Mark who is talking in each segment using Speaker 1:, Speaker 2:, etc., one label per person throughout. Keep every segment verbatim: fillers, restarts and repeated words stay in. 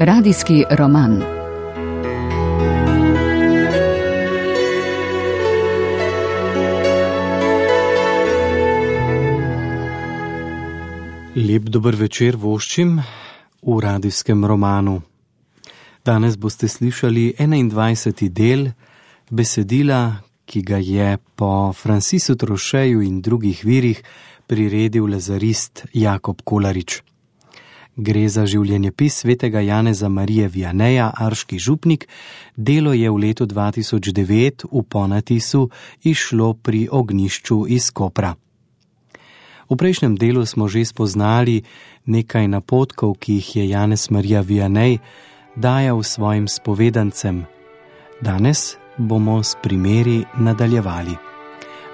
Speaker 1: Radijski roman.
Speaker 2: Lep dober večer voščim v radijskem romanu. Danes boste slišali enaindvajseti del besedila, ki ga je po Francisu Trošeju in drugih virih priredil lazarist Jakob Kolarič. Gre za življenjepis svetega Janeza Marije Vianeja, arški župnik. Delo je v letu dva tisoč devet v ponatisu izšlo pri Ognjišču iz Kopra. V prejšnjem delu smo že spoznali nekaj napotkov, ki jih je Janez Marija Vianej dajal svojim spovedancem. Danes bomo s primeri nadaljevali.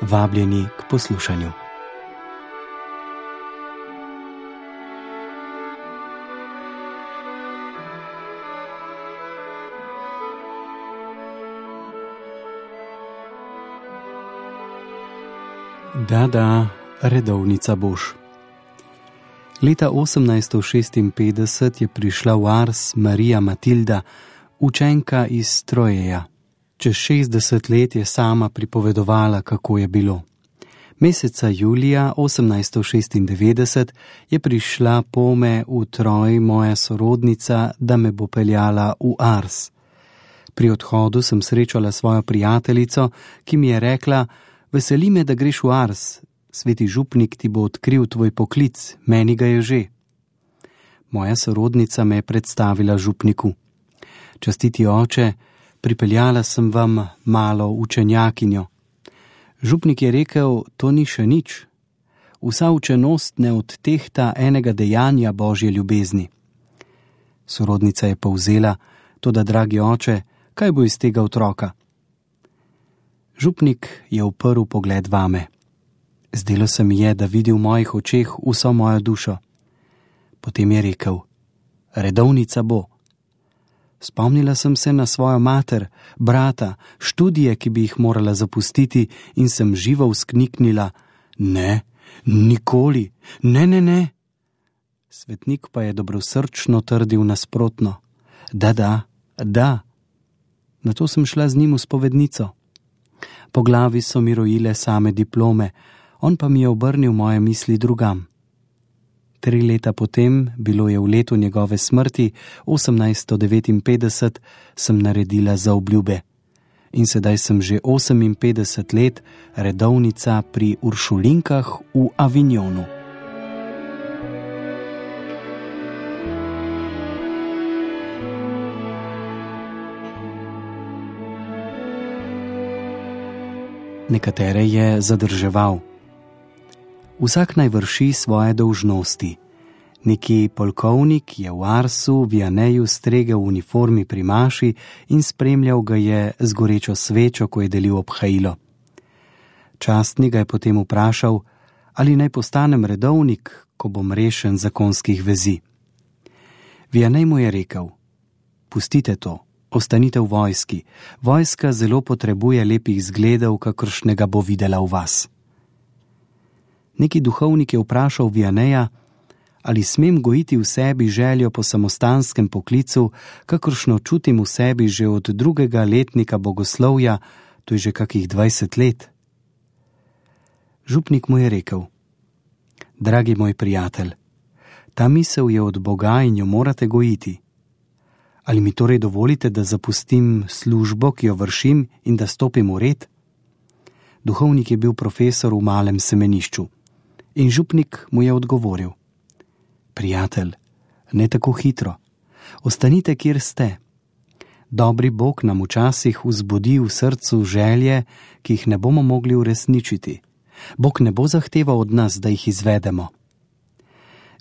Speaker 2: Vabljeni k poslušanju. Da, da, redovnica boš. Leta osemnajststo šestinpetdeset je prišla v Ars Marija Matilda, učenka iz Trojeja. Čez šestdeset let je sama pripovedovala, kako je bilo. Meseca julija osemnajststo šestindevetdeset je prišla pome v Troj moja sorodnica, da me bo peljala v Ars. Pri odhodu sem srečala svojo prijateljico, ki mi je rekla: veseli me, da greš v Ars, sveti župnik ti bo odkril tvoj poklic, meni ga je že. Moja sorodnica me je predstavila župniku. Častiti oče, pripeljala sem vam malo učenjakinjo. Župnik je rekel: to ni še nič. Vsa učenost ne odtehta enega dejanja Božje ljubezni. Sorodnica je povzela: toda, dragi oče, kaj bo iz tega otroka? Župnik je uprl pogled vame. Zdelo se mi je, da vidi v mojih očeh vso mojo dušo. Potem je rekel: redovnica bo. Spomnila sem se na svojo mater, brata, študije, ki bi jih morala zapustiti, in sem živo vzkniknila: ne, nikoli, ne, ne, ne. Svetnik pa je dobrosrčno trdil nasprotno: da, da, da. Nato sem šla z njim v spovednico. Po glavi so mi rojile same diplome, on pa mi je obrnil moje misli drugam. Tri leta potem, bilo je v letu njegove smrti, osemnajststo devetinpetdeset, sem naredila zaobljube. In sedaj sem že oseminpetdeset let redovnica pri Uršulinkah v Avignonu. Nekatere je zadrževal. Vsak naj vrši svoje dolžnosti. Neki polkovnik je v Arsu Vianeju stregel v uniformi pri maši in spremljal ga je z gorečo svečo, ko je delil obhajilo. Častni ga je potem vprašal, ali naj postanem redovnik, ko bom rešen zakonskih vezi. Vianej mu je rekel: pustite to. Ostanite v vojski. Vojska zelo potrebuje lepih zgledov, kakršnega bo videla v vas. Neki duhovnik je vprašal Vianeja, ali smem gojiti v sebi željo po samostanskem poklicu, kakršno čutim v sebi že od drugega letnika bogoslovja, to je že kakih dvajset let. Župnik mu je rekel: dragi moj prijatelj, ta misel je od Boga in jo morate gojiti. Ali mi torej dovolite, da zapustim službo, ki jo vršim, in da stopim v red? Duhovnik je bil profesor v malem semenišču. In župnik mu je odgovoril: prijatelj, ne tako hitro. Ostanite, kjer ste. Dobri Bog nam včasih vzbudi v srcu želje, ki jih ne bomo mogli uresničiti. Bog ne bo zahteval od nas, da jih izvedemo.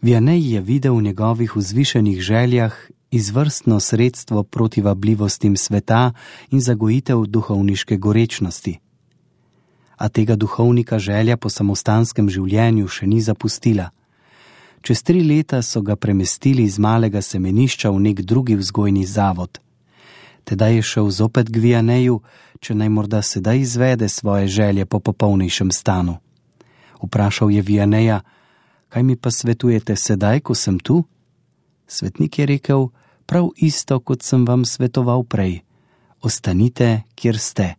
Speaker 2: Vianej je videl v njegovih vzvišenih željah izvrstno sredstvo proti vabljivostim sveta in zagojitev duhovniške gorečnosti. A tega duhovnika želja po samostanskem življenju še ni zapustila. Čez tri leta so ga premestili iz malega semenišča v nek drugi vzgojni zavod. Tedaj je šel zopet k Vianeju, če naj morda sedaj izvede svoje želje po popolnejšem stanu. Vprašal je Vianeja: kaj mi pa svetujete sedaj, ko sem tu? Svetnik je rekel: prav isto, kot sem vam svetoval prej. Ostanite, kjer ste.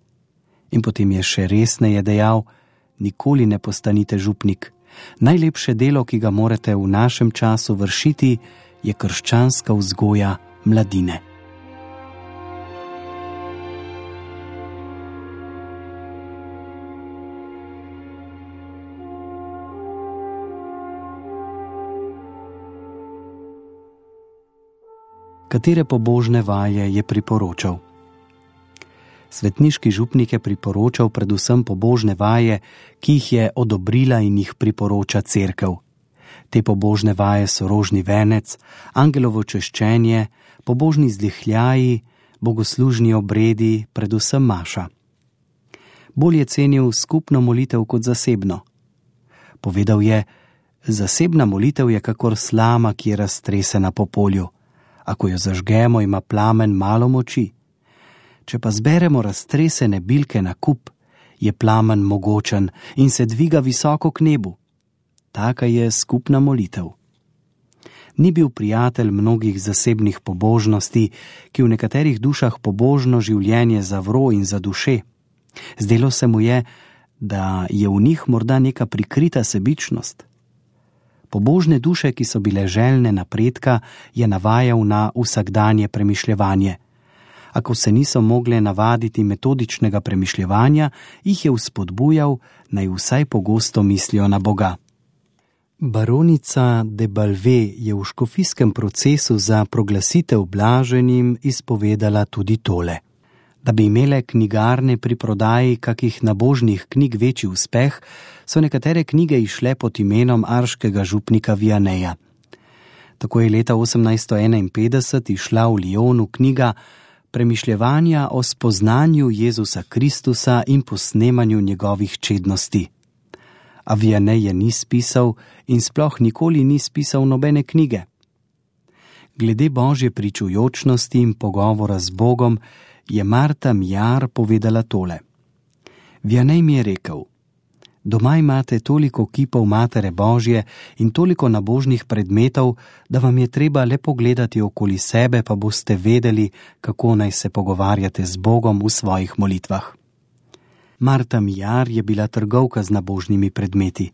Speaker 2: In potem je še resneje dejal: nikoli ne postanite župnik. Najlepše delo, ki ga morate v našem času vršiti, je krščanska vzgoja mladine. Katere pobožne vaje je priporočal? Svetniški župnik je priporočal predvsem pobožne vaje, ki jih je odobrila in jih priporoča cerkev. Te pobožne vaje so rožni venec, angelovo češčenje, pobožni zdihljaji, bogoslužni obredi, predvsem maša. Bolj je cenil skupno molitev kot zasebno. Povedal je: zasebna molitev je kakor slama, ki je raztresena po polju. Ako jo zažgemo, ima plamen malo moči. Če pa zberemo raztresene bilke na kup, je plamen mogočen in se dviga visoko k nebu. Taka je skupna molitev. Ni bil prijatelj mnogih zasebnih pobožnosti, ki v nekaterih dušah pobožno življenje zavro in zaduše. Zdelo se mu je, da je v njih morda neka prikrita sebičnost. Pobožne duše, ki so bile željne napredka, je navajal na vsakdanje premišljevanje. Ako se niso mogle navaditi metodičnega premišljevanja, jih je vzpodbujal, naj vsaj pogosto mislijo na Boga. Baronica de Balve je v škofijskem procesu za proglasitev blaženim izpovedala tudi tole: da bi imele knjigarne pri prodaji kakih nabožnih knjig večji uspeh, so nekatere knjige išle pod imenom arškega župnika Vianeja. Tako je leta osemnajststo enainpetdeset išla v Lyonu knjiga Premišljevanja o spoznanju Jezusa Kristusa in posnemanju njegovih čednosti. A Vianej je ni spisal in sploh nikoli ni spisal nobene knjige. Glede božje pričujočnosti in pogovora z Bogom je Marta Mjar povedala tole: Vianej mi je rekel: doma imate toliko kipov Matere Božje in toliko nabožnih predmetov, da vam je treba le pogledati okoli sebe, pa boste vedeli, kako naj se pogovarjate z Bogom v svojih molitvah. Marta Mjar je bila trgovka z nabožnimi predmeti.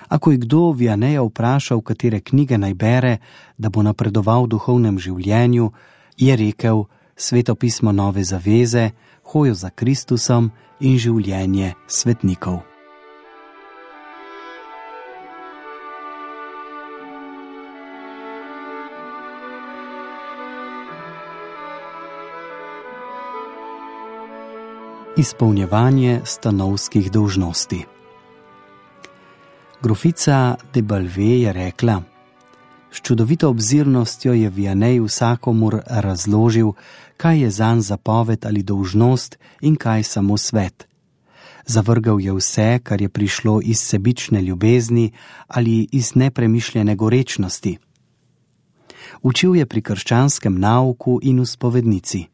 Speaker 2: Ako je kdo Vianeja vprašal, katere knjige naj bere, da bo napredoval v duhovnem življenju, je rekel: Svetopismo Nove zaveze, Hojo za Kristusom in življenje svetnikov. Izpolnjevanje stanovskih dolžnosti. Grofica de Balve je rekla: s čudovito obzirnostjo je Vianej vsakomur razložil, kaj je zanj zapoved ali dolžnost in kaj samo svet. Zavrgal je vse, kar je prišlo iz sebične ljubezni ali iz nepremišljene gorečnosti. Učil je pri krščanskem nauku in v spovednici.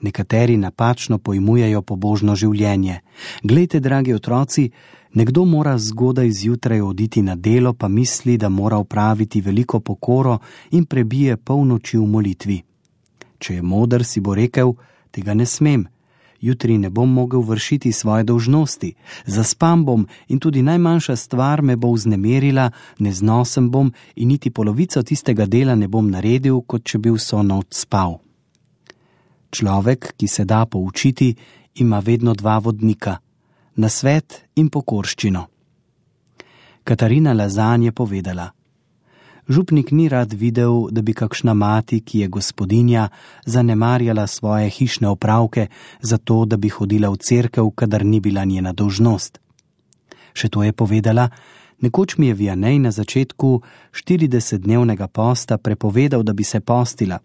Speaker 2: Nekateri napačno pojmujejo pobožno življenje. Glejte, dragi otroci, nekdo mora zgodaj zjutraj oditi na delo, pa misli, da mora opraviti veliko pokoro in prebije polnoči v molitvi. Če je moder, si bo rekel: tega ne smem, jutri ne bom mogel vršiti svoje dolžnosti, zaspam bom in tudi najmanjša stvar me bo vznemirila, neznosen bom in niti polovico tistega dela ne bom naredil, kot če bi vso noč spal. Človek, ki se da poučiti, ima vedno dva vodnika, nasvet in pokorščino. Katarina Lazan je povedala: župnik ni rad videl, da bi kakšna mati, ki je gospodinja, zanemarjala svoje hišne opravke, zato da bi hodila v cerkev, kadar ni bila njena dolžnost. Še to je povedala: nekoč mi je Vianej na začetku štiridesetdnevnega posta prepovedal, da bi se postila.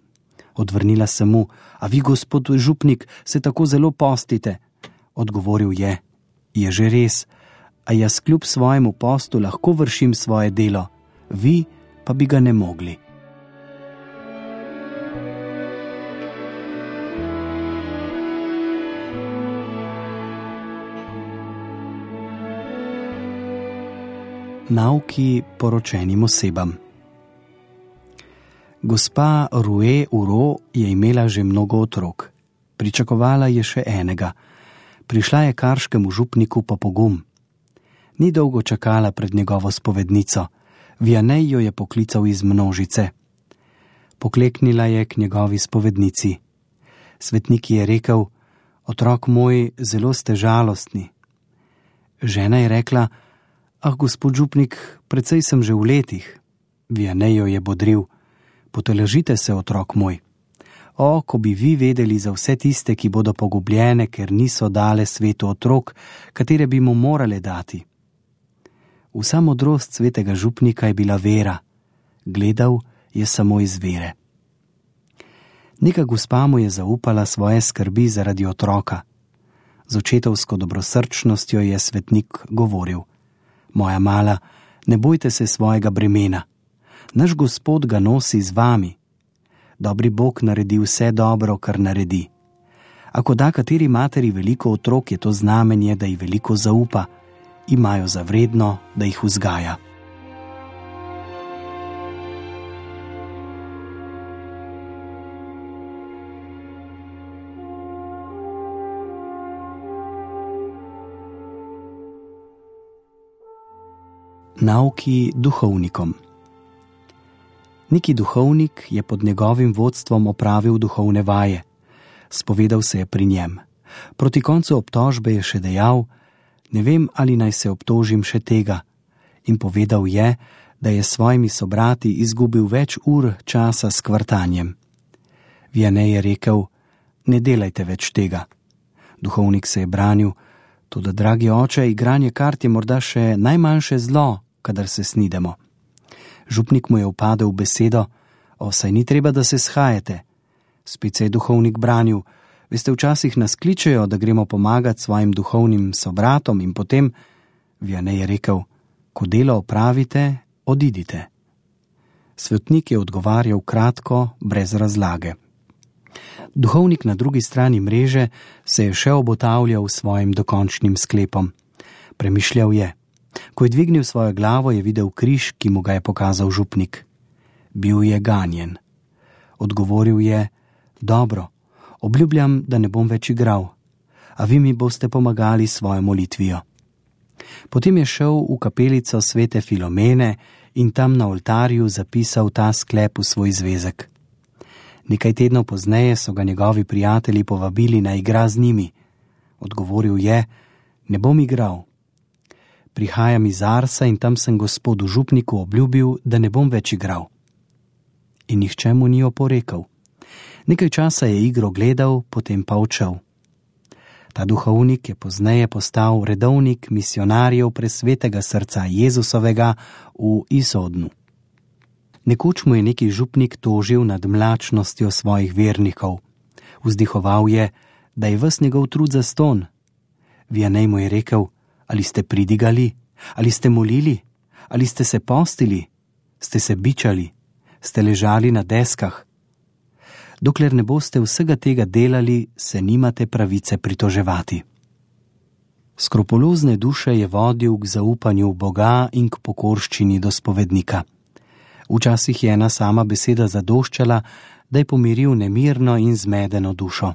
Speaker 2: Odvrnila sem mu: a vi, gospod župnik, se tako zelo postite? Odgovoril je: je že res, a jaz kljub svojemu postu lahko vršim svoje delo, vi pa bi ga ne mogli. Nauki poročenim osebam. Gospa Rue Uro je imela že mnogo otrok. Pričakovala je še enega. Prišla je karškemu župniku po pogum. Ni dolgo čakala pred njegovo spovednico. Vianej jo je poklical iz množice. Pokleknila je k njegovi spovednici. Svetnik je rekel: otrok moj, zelo ste žalostni. Žena je rekla: ah, gospod župnik, precej sem že v letih. Vianej jo je bodril: potolažite se, otrok moj. O, ko bi vi vedeli za vse tiste, ki bodo pogubljene, ker niso dale svetu otrok, katere bi mu morale dati. Vsa modrost svetega župnika je bila vera. Gledal je samo iz vere. Neka gospa mu je zaupala svoje skrbi zaradi otroka. Z očetovsko dobrosrčnostjo je svetnik govoril: moja mala, ne bojte se svojega bremena. Naš Gospod ga nosi z vami. Dobri Bog naredi vse dobro, kar naredi. Ako da kateri materi veliko otrok, je to znamenje, da ji veliko zaupa, imajo za vredno, da jih vzgaja. Nauki duhovnikom. Neki duhovnik je pod njegovim vodstvom opravil duhovne vaje. Spovedal se je pri njem. Proti koncu obtožbe je še dejal: ne vem, ali naj se obtožim še tega. In povedal je, da je s svojimi sobrati izgubil več ur časa s kvartanjem. Vianej je rekel: ne delajte več tega. Duhovnik se je branil: toda, dragi oče, igranje kart je morda še najmanjše zlo, kadar se snidemo. Župnik mu je upadel v besedo: o, saj ni treba, da se shajate. Spet se je duhovnik branil: veste, včasih nas kličejo, da gremo pomagati svojim duhovnim sobratom in potem. Vianej je rekel: ko delo opravite, odidite. Svetnik je odgovarjal kratko, brez razlage. Duhovnik na drugi strani mreže se je še obotavljal s svojim dokončnim sklepom. Premišljal je. Ko je dvignil svojo glavo, je videl križ, ki mu ga je pokazal župnik. Bil je ganjen. Odgovoril je: dobro, obljubljam, da ne bom več igral, a vi mi boste pomagali s svojo molitvijo. Potem je šel v kapelico svete Filomene in tam na oltarju zapisal ta sklep v svoj zvezek. Nekaj tednov pozneje so ga njegovi prijatelji povabili na igra z njimi. Odgovoril je: ne bom igral. Prihajam iz Arsa in tam sem gospodu župniku obljubil, da ne bom več igral. In nihče mu ni oporekal. Nekaj časa je igro gledal, potem pa odšel. Ta duhovnik je pozneje postal redovnik misionarjev presvetega srca Jezusovega v Isodnu. Nekoč mu je neki župnik tožil nad mlačnostjo svojih vernikov. Vzdihoval je, da je ves njegov trud zastonj. Vianej mu je rekel: ali ste pridigali, ali ste molili, ali ste se postili, ste se bičali, ste ležali na deskah. Dokler ne boste vsega tega delali, se nimate pravice pritoževati. Skrupulozne duše je vodil k zaupanju v Boga in k pokorščini do spovednika. Včasih je ena sama beseda zadoščala, da je pomiril nemirno in zmedeno dušo.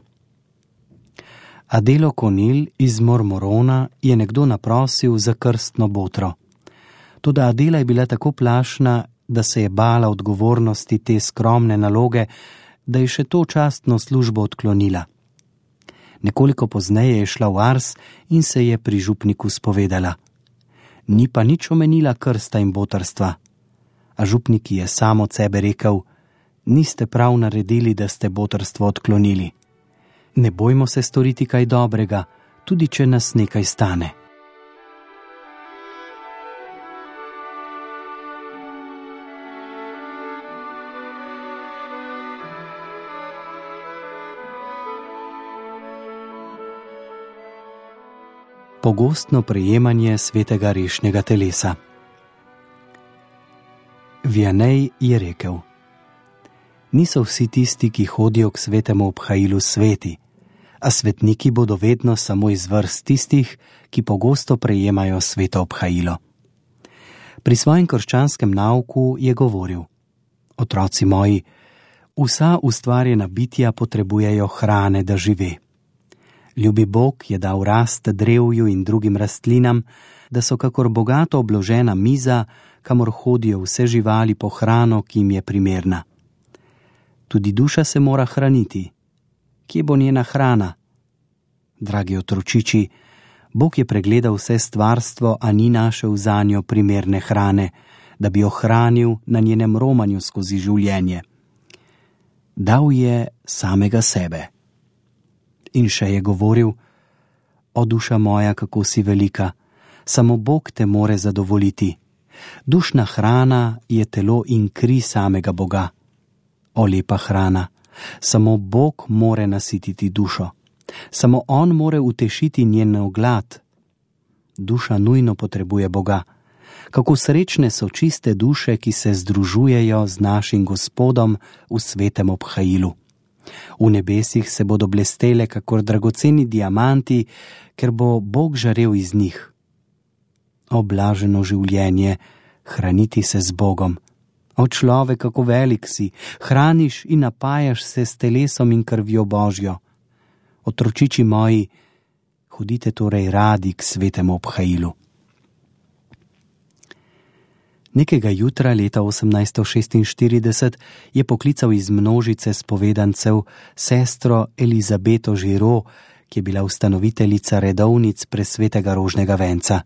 Speaker 2: Adelo Konil iz Mormorona je nekdo naprosil za krstno botro. Toda Adela je bila tako plašna, da se je bala odgovornosti te skromne naloge, da je še to častno službo odklonila. Nekoliko pozneje je šla v Ars in se je pri župniku spovedala. Ni pa nič omenila krsta in botrstva. A župnik je sam od sebe rekel: niste prav naredili, da ste botrstvo odklonili. Ne bojmo se storiti kaj dobrega, tudi če nas nekaj stane. Pogostno prejemanje svetega rešnjega telesa. Vianej je rekel: niso vsi tisti, ki hodijo k svetemu obhajilu, sveti, a svetniki bodo vedno samo iz vrst tistih, ki pogosto prejemajo sveto obhajilo. Pri svojem krščanskem nauku je govoril: otroci moji, Vsa ustvarjena bitja potrebujejo hrane, da žive. Ljubi Bog je dal rast drevju in drugim rastlinam, da so kakor bogato obložena miza, kamor hodijo vse živali po hrano, ki jim je primerna. Tudi duša se mora hraniti. Kje bo njena hrana? Dragi otročiči, Bog je pregledal vse stvarstvo, a ni našel zanjo primerne hrane, da bi jo hranil na njenem romanju skozi življenje. Dal je samega sebe. In še je govoril: O duša moja, kako si velika, samo Bog te more zadovoljiti. Dušna hrana je telo in kri samega Boga. O lepa hrana, samo Bog more nasititi dušo. Samo On more utešiti njeno glad. Duša nujno potrebuje Boga. Kako srečne so čiste duše, ki se združujejo z našim Gospodom v svetem obhajilu. V nebesih se bodo blestele kakor dragoceni diamanti, ker bo Bog žarel iz njih. O blaženo življenje, hraniti se z Bogom. O človek, kako velik si, hraniš in napajaš se s telesom in krvjo Božjo. Otročiči moji, hodite torej radi k svetemu obhajilu. Nekega jutra leta osemnajststo šestinštirideset je poklical iz množice spovedancev sestro Elizabeto Žiro, ki je bila ustanoviteljica redovnic presvetega rožnega venca.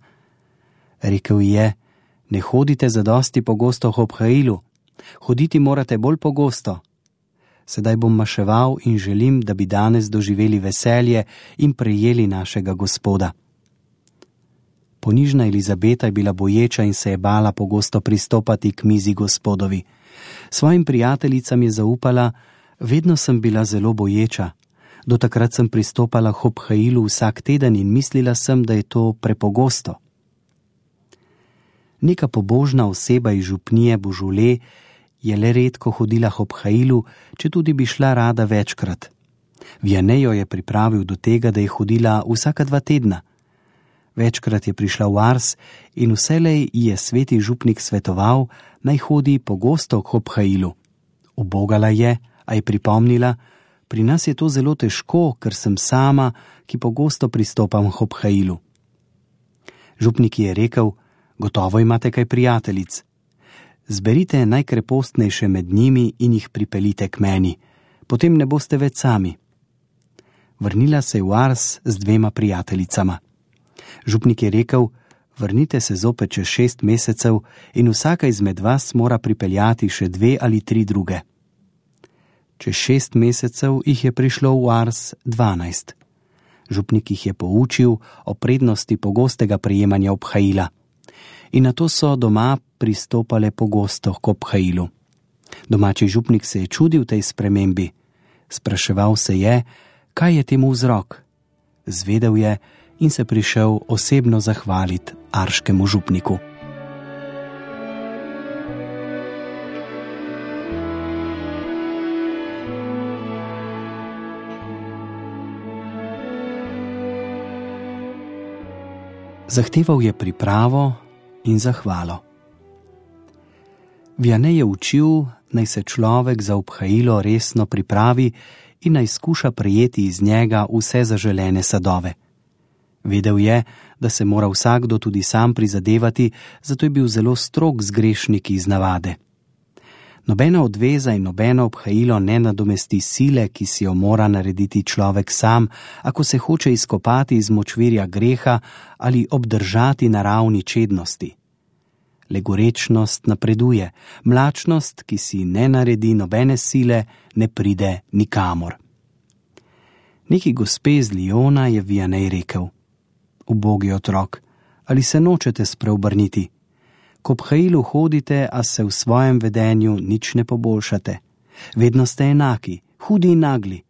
Speaker 2: Rekel ji je: Ne hodite zadosti pogosto v obhajilu, hoditi morate bolj pogosto. Sedaj bom maševal in želim, da bi danes doživeli veselje in prejeli našega Gospoda. Ponižna Elizabeta je bila boječa in se je bala pogosto pristopati k mizi Gospodovi. Svojim prijateljicam je zaupala: Vedno sem bila zelo boječa. Do takrat sem pristopala k obhajilu vsak teden in mislila sem, da je to prepogosto. Neka pobožna oseba iz župnije Božule je le redko hodila k obhajilu, četudi bi šla rada večkrat. Vianney jo je pripravil do tega, da je hodila vsaka dva tedna. Večkrat je prišla v Ars in vselej ji je sveti župnik svetoval, naj hodi pogosto k obhajilu. Ubogala je, a je pripomnila: Pri nas je to zelo težko, ker sem sama, ki pogosto pristopam k obhajilu. Župnik je rekel: Gotovo imate kaj prijateljic. Zberite najkrepostnejše med njimi in jih pripeljite k meni, potem ne boste več sami. Vrnila se je v Ars z dvema prijateljicama. Župnik je rekel: Vrnite se zopet čez šest mesecev in vsaka izmed vas mora pripeljati še dve ali tri druge. Čez šest mesecev jih je prišlo v Ars dvanajst. Župnik jih je poučil o prednosti pogostega prejemanja obhajila. In nato so doma pristopale pogosto k obhajilu. Domači župnik se je čudil tej spremembi. Spraševal se je, kaj je temu vzrok. Zvedel je in se prišel osebno zahvaliti arškemu župniku. Zahteval je pripravo in zahvalo. Vianney je učil, naj se človek za obhajilo resno pripravi in naj skuša prejeti iz njega vse zaželene sadove. Vedel je, da se mora vsakdo tudi sam prizadevati, zato je bil zelo strog z grešniki iz navade. Nobena odveza in nobeno obhajilo ne nadomesti sile, ki si jo mora narediti človek sam, ako se hoče izkopati iz močvirja greha ali obdržati naravni čednosti. Legorečnost napreduje, mlačnost, ki si ne naredi nobene sile, ne pride nikamor. Neki gospe iz Lyona je Vianney rekel: Ubogi otrok, ali se nočete spreobrniti? K obhajilu hodite, a se v svojem vedenju nič ne poboljšate. Vedno ste enaki, hudi in nagli.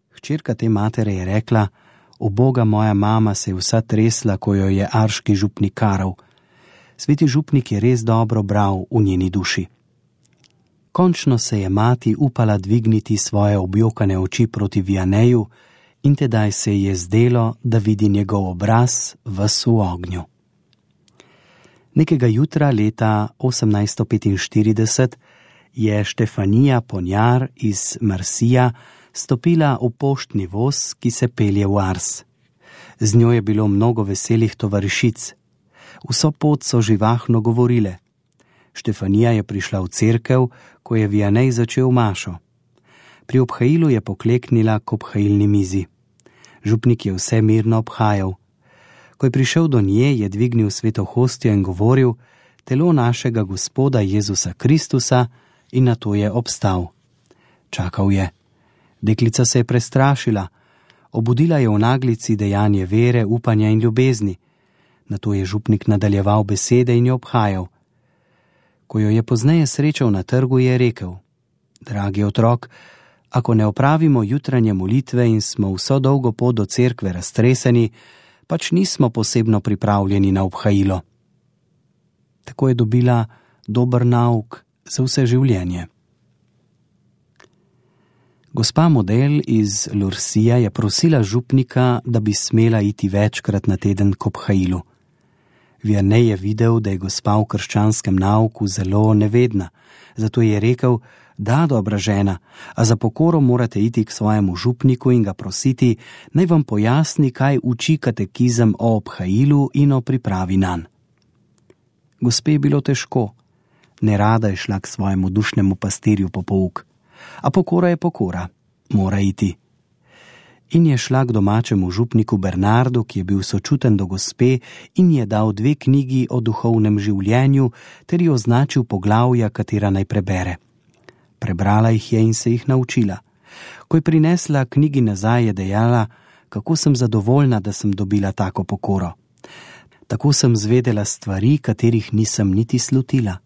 Speaker 2: Hčerka te matere je rekla: Uboga moja mama se je vsa tresla, ko jo je arški župnik karal. Sveti župnik je res dobro bral v njeni duši. Končno se je mati upala dvigniti svoje objokane oči proti Vianneyju in tedaj se ji je zdelo, da vidi njegov obraz ves v ognju. Nekega jutra leta osemnajststo petinštirideset je Štefanija Ponjar iz Marsija stopila v poštni voz, ki se pelje v Ars. Z njo je bilo mnogo veselih tovarišic. Vso pot so živahno govorile. Štefanija je prišla v cerkev, ko je Vianej začel mašo. Pri obhajilu je pokleknila k obhajilni mizi. Župnik je vse mirno obhajal. Ko je prišel do nje, je dvignil sveto hostijo in govoril: telo našega Gospoda Jezusa Kristusa, in nato je obstal. Čakal je. Deklica se je prestrašila. Obudila je v naglici dejanje vere, upanja in ljubezni. Nato je župnik nadaljeval besede in jo obhajal. Ko jo je pozneje srečal na trgu, je rekel: dragi otrok, ako ne opravimo jutranje molitve in smo vso dolgo pot do cerkve raztreseni, pač nismo posebno pripravljeni na obhajilo. Tako je dobila dober nauk za vse življenje. Gospa model iz Lursija je prosila župnika, da bi smela iti večkrat na teden k obhajilu. Vianej je videl, da je gospa v krščanskem nauku zelo nevedna, zato je rekel: da, dobra žena, a za pokoro morate iti k svojemu župniku in ga prositi, naj vam pojasni, kaj uči katekizem o obhajilu in o pripravi nanj. Gospe je bilo težko. Nerada je šla k svojemu dušnemu pastirju po pouk. A pokora je pokora, mora iti. In je šla k domačemu župniku Bernardu, ki je bil sočuten do gospe in je dal dve knjigi o duhovnem življenju ter ji označil poglavja, katera naj prebere. Prebrala jih je in se jih naučila. Ko je prinesla knjigi nazaj, je dejala: kako sem zadovoljna, da sem dobila tako pokoro. Tako sem zvedela stvari, katerih nisem niti slutila.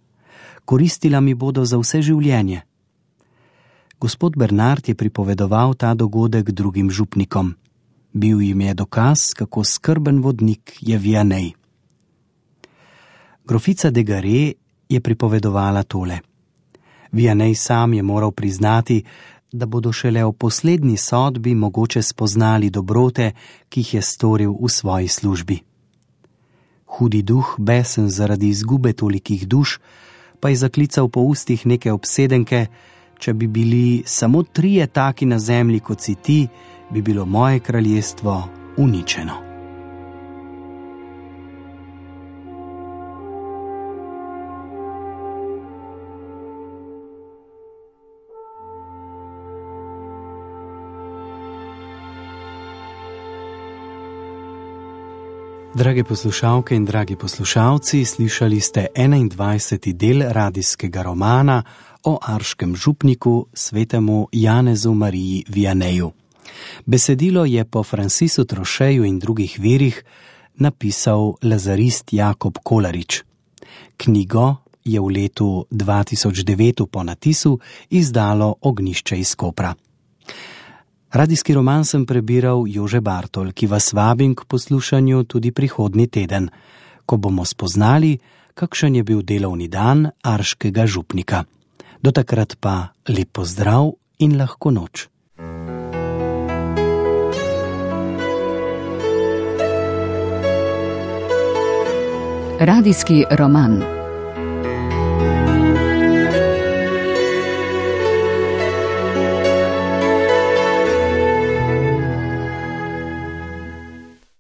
Speaker 2: Koristila mi bodo za vse življenje. Gospod Bernard je pripovedoval ta dogodek drugim župnikom. Bil jim je dokaz, kako skrben vodnik je Vianej. Grofica de Gare je pripovedovala tole. Vianej sam je moral priznati, da bodo šele v poslednji sodbi mogoče spoznali dobrote, ki jih je storil v svoji službi. Hudi duh, besen zaradi izgube tolikih duš, pa je zaklical po ustih neke obsedenke: če bi bili samo trije taki na zemlji, kot si ti, bi bilo moje kraljestvo uničeno. Drage poslušalke in dragi poslušalci, slišali ste enaindvajseti del radijskega romana o arškem župniku svetemu Janezu Mariji Vianeju. Besedilo je po Francisu Trocheju in drugih virih napisal lazarist Jakob Kolarič. Knjigo je v letu dva tisoč devet po natisu izdalo Ognjišče iz Kopra. Radijski roman sem prebiral Jože Bartol, ki vas vabim k poslušanju tudi prihodnji teden, ko bomo spoznali, kakšen je bil delovni dan arškega župnika. Do takrat pa lep pozdrav in lahko noč.
Speaker 1: Radijski roman.